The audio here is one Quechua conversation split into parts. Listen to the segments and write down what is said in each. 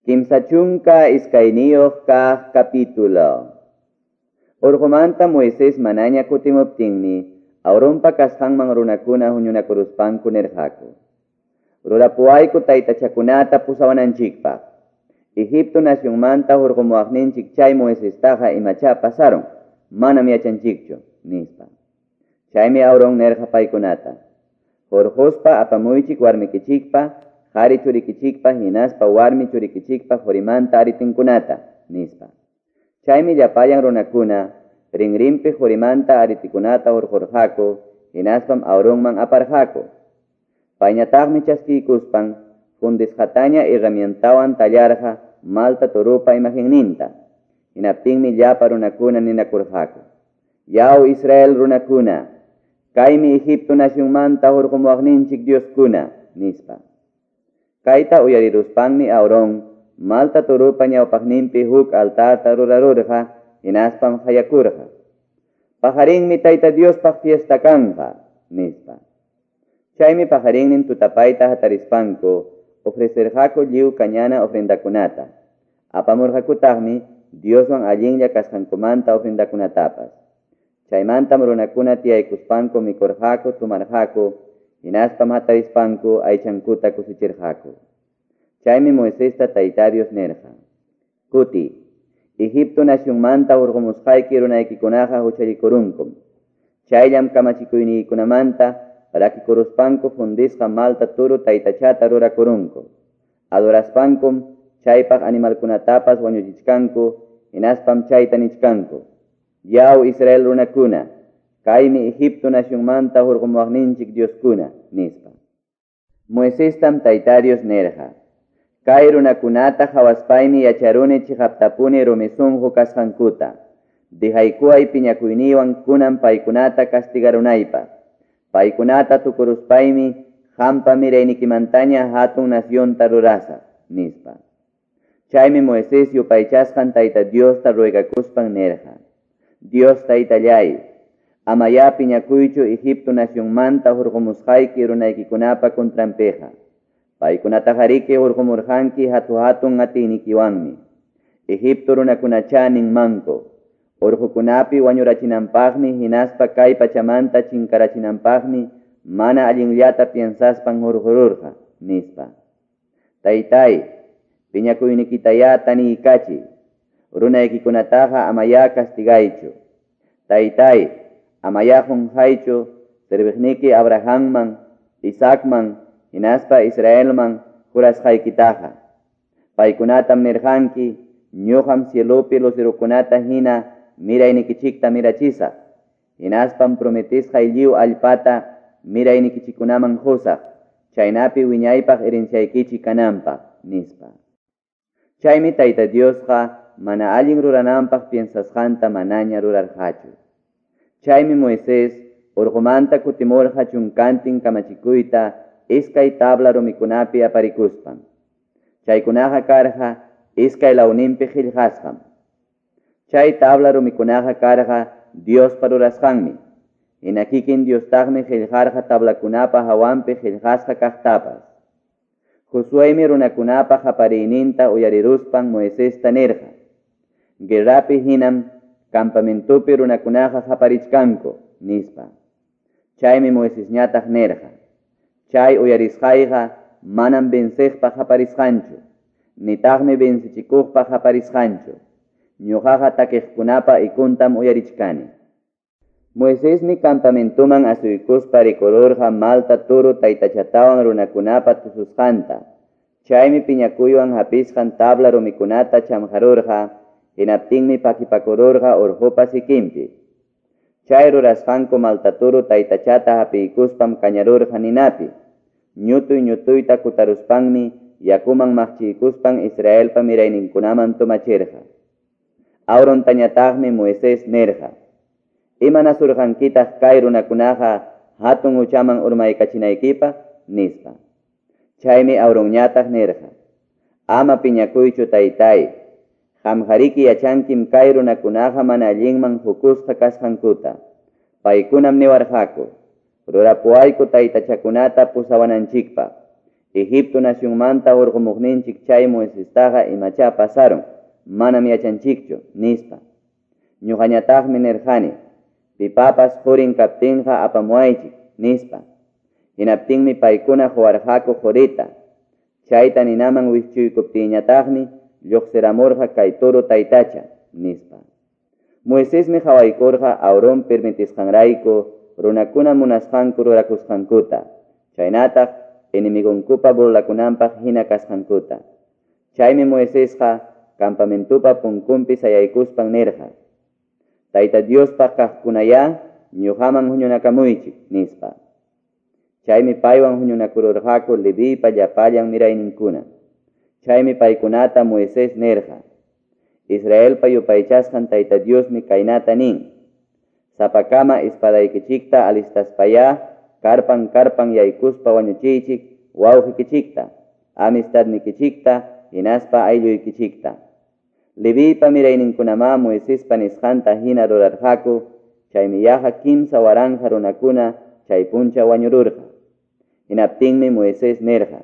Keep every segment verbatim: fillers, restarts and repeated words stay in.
Kimsa chunka iskayniyuq kaq capítulo. Urqumanta Moisés manaña kutimuptinmi, Aaronpa kasqanman runakuna huñunakuruspanku nirqaku. Rurapuwayku taytachakunata pusawananchikpaq. Egipto nacionmanta hurqumuwaqninchik chay Moisestaqa imachá pasaron, manam yachanchikchu, nispa. Chaymi Aarón nirqa paykunata. Hurquspa apamuychik warmikichikpa, qhari churikichikpa hinaspa warmi churikichikpa qurimanta aritinkunata, nispa. Chaymi llapallan runakuna rinrinpi qurimanta aritikunata hurqurqaku, hinaspam Aaronman aparqaku. Payñataqmi chaskiykuspan fundisqataña herramientawan tallarqa malta turupa imagenninta. Hinaptinmi llapa runakuna ninakurqaku. Yaw Israel runakuna, kaymi Egipto nacionmanta hurqumuwaqninchik Dioskuna, nispa. Kayta uyariruspanmi Aarón malta turupa ñawpaqninpi huk altarta rurarurqa, hinaspam hayakurqa. Pajarinmi Tayta Diospaq fiesta kanqa, nispa. Chaymi pajarinnin tutapayta hatarispanku ofrecerqaku lliw kañana ofrendakunata. Apamurqakutaqmi Dioswan allinlla kasqankumanta ofrendakunatapas. Chaymantam runakuna tiyaykuspanku mikurqaku, tumarqaku, hinaspam hatarispanku aychankuta kusichirqaku. Chaymi Moisesta Tayta Dios nirqa. Kuti, Egipto nacionmanta hurqumusqayki runaykikunaqa huchallikurunkum. Chayllam kamachikuyniykunamanta rakikuruspanku fundisqa malta turu taytachata rurakurunku. Adoraspankum chaypaq animalkunatapas wañuchichkanku, hinaspam chayta nichkanku. Yaw Israel runakuna, kaymi Egipto nacionmanta hurqumuwaqninchik Dioskuna, nispa. Moisestam Tayta Dios nirqa. Kay runakunata hawaspaymi yacharuni chiqaptapuni rumi sunqu kasqankuta. Dihaykuway piñakuyniywan kunan paykunata castigarunaypaq. Paykunata tukuruspaymi qampa miraynikimantaña hatun nacionta rurasaq, nispa. Chaymi Moisés yupaychasqan Tayta Diosta ruegakuspan nirqa. Dios Taytallay, amayá piñakuychu Egipto nacionmanta hurqumusqayki runaykikunapa contranpiqa. Paykunataqariki hurqumurqanki hatu-hatun atiynikiwanmi. Egipto runakunachá ninmanku. Urqukunapi wañurachinanpaqmi hinaspa kay pachamanta chinkarachinanpaqmi mana allinllata piensaspan hurqururqa, nispa. Taytay, piñakuynikitayá taniykachiy. Runaykikunataqa amayá castigaychu. Taytay, amayá qunqaychu serviqniki Abrahamman, Isaacman, hinaspa Israelman jurasqaykitaqa. Paykunatam nirqanki, ñuqam cielopi lucerokunata hina miraynikichikta mirachisaq. Hinaspam prometisqay lliw allpata miraynikichikunaman qusaq, chaynapi wiñaypaq herenciaykichik kananpaq, nispa. Chaymi Tayta Diosqa mana allin rurananpaq piensasqanta manaña rurarqachu. Chaymi Moisés urqumanta kutimurqa chunkantin kamachikuyta iskay tabla rumikunapi aparikuspan. Chaykunaqa karqa iskay lawninpi qillqasqam. Chay tabla rumikunaqa karqa Diospa rurasqanmi. Hina kikin Diostaqmi qillqarqa tablakunapa hawanpi qillqasqa kaqtapas. Josuemi runakunapa qapariyninta uyariruspan Moisesta nirqa. Guerrapi hinam campamentopi runakunaqa qaparichkanku, nispa. Chaymi Moisesñataq nirqa. Chay uyarisqayqa manam venceqpa qaparisqanchu, nitaqmi vencichikuqpa qaparisqanchu. Ñuqaqa takiqkunapa ikuntam uyarichkani. Moisesmi campamentoman asuykuspa rikururqa malta turu taytachatawan runakunapa tususqanta. Chaymi piñakuywan hapisqan tabla rumikunata chamqarurqa, hinaptinmi pakipakururqa urqupa sikinpi. Chay rurasqanku malta turu taytachata hapiykuspam kañarurqa ninapi. Ñutuy ñutuyta kutaruspanmi yakuman maqchiykuspan Israelpa mirayninkunaman tumachirqa. Aarontañataqmi Moisés nirqa. Imanasurqankitaq kay runakunaqa hatun huchaman urmaykachinaykipaq, nispa. Chaymi Aaronñataq nirqa. Ama piñakuychu taytay. Qamqariki yachankim kay runakunaqa mana allinman hukusqa kasqankuta. Paykunam niwarqaku. Rurapuwayku taytachakunata pusawananchikpaq. Egipto nacionmanta hurqumuqninchik chay Moisestaqa imachá pasarun, manam yachanchikchu, nispa. Ñuqañataqmi nirqani, pipapas qurin kaptinqa apamuwaychik, nispa. Hinaptinmi paykuna quwarqaku qurita. Chayta ninaman wischuykuptiyñataqmi lluqsiramurqa kay toro taytacha, nispa. Moisesmi qawaykurqa Aarón permitisqanrayku runakuna munasqanku rurakusqankuta, chaynataq enemigonkupa burlakunanpaq hina kasqankuta. Chaymi Moisesqa campamentupa punkunpi sayaykuspan nirqa, Tayta Diospaq kaqkunayá ñuqaman huñunakamuychik, nispa. Chaymi paywan huñunakururqaku Leviypa llapallan mirayninkuna. Chaymi paykunata Moisés nirqa, Israelpa yupaychasqan Tayta Diosmi kaynata nin, sapakama espadaykichikta alistaspayá karpan karpan yaykuspa wañuchiychik wawqikichikta, amistadnikichikta, hinaspa aylluykichikta. Leviypa mirayninkunamá Moisespa nisqanta hina rurarqaku, chaymi yaqa kimsa waranqa runakuna chay puncha wañururqa. Hinaptinmi Moisés nirqa,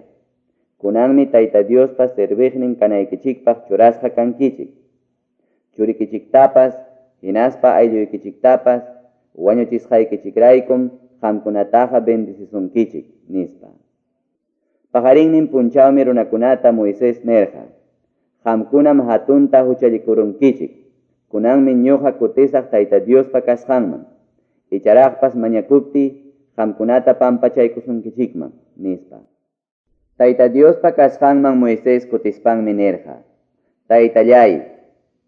kunanmi Tayta Diospa serviqnin kanaykichikpaq churasqa kankichik. Churikichiktapas, hinaspa aylluykichiktapas, wañuchisqaykichikraykum qamkunataqa bendicisunkichik, nispa. Paqarinnin punchawmi runakunata Moisés nirqa, qamkunam hatunta huchallikurunkichik, kunanmi ñuqa kutisaq Tayta Diospa kasqanman, icharaqpas mañakuptiy qamkunata pampachaykusunkichikman, nispa. Tayta Diospa kasqanman Moisés kutispanmi nirqa, Taytallay,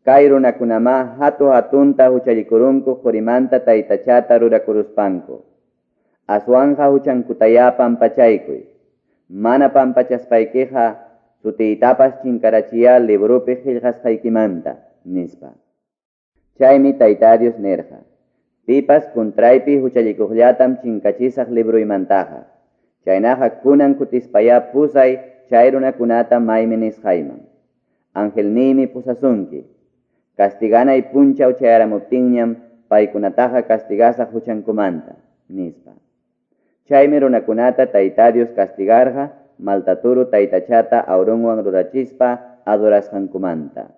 kay runakunamá hatu hatunta huchallikurunku qurimanta taytachata rurakuruspanku. Aswanja huchankutayá pampachaykuy. Mana pampachaspaykiqa sutiytapas chinkarachiyá libropi qillqasqaykimanta, nispa. Chaymi Tayta Dios nirqa, pipas kuntraypi huchallikuqllatam chinkachisaq libroymantaqa. Chaynaqa kunan kutispayá pusay chay runakunata maymi nisqayman. Angelniymi pusasunki. Castiganay punchaw chayaramuptinñam paykunataqa castigasaq huchankumanta, nispa. Chaymi runakunata Tayta Dios castigarqa maltaturu taytachata Aaronwan rurachispa adorasqankumanta.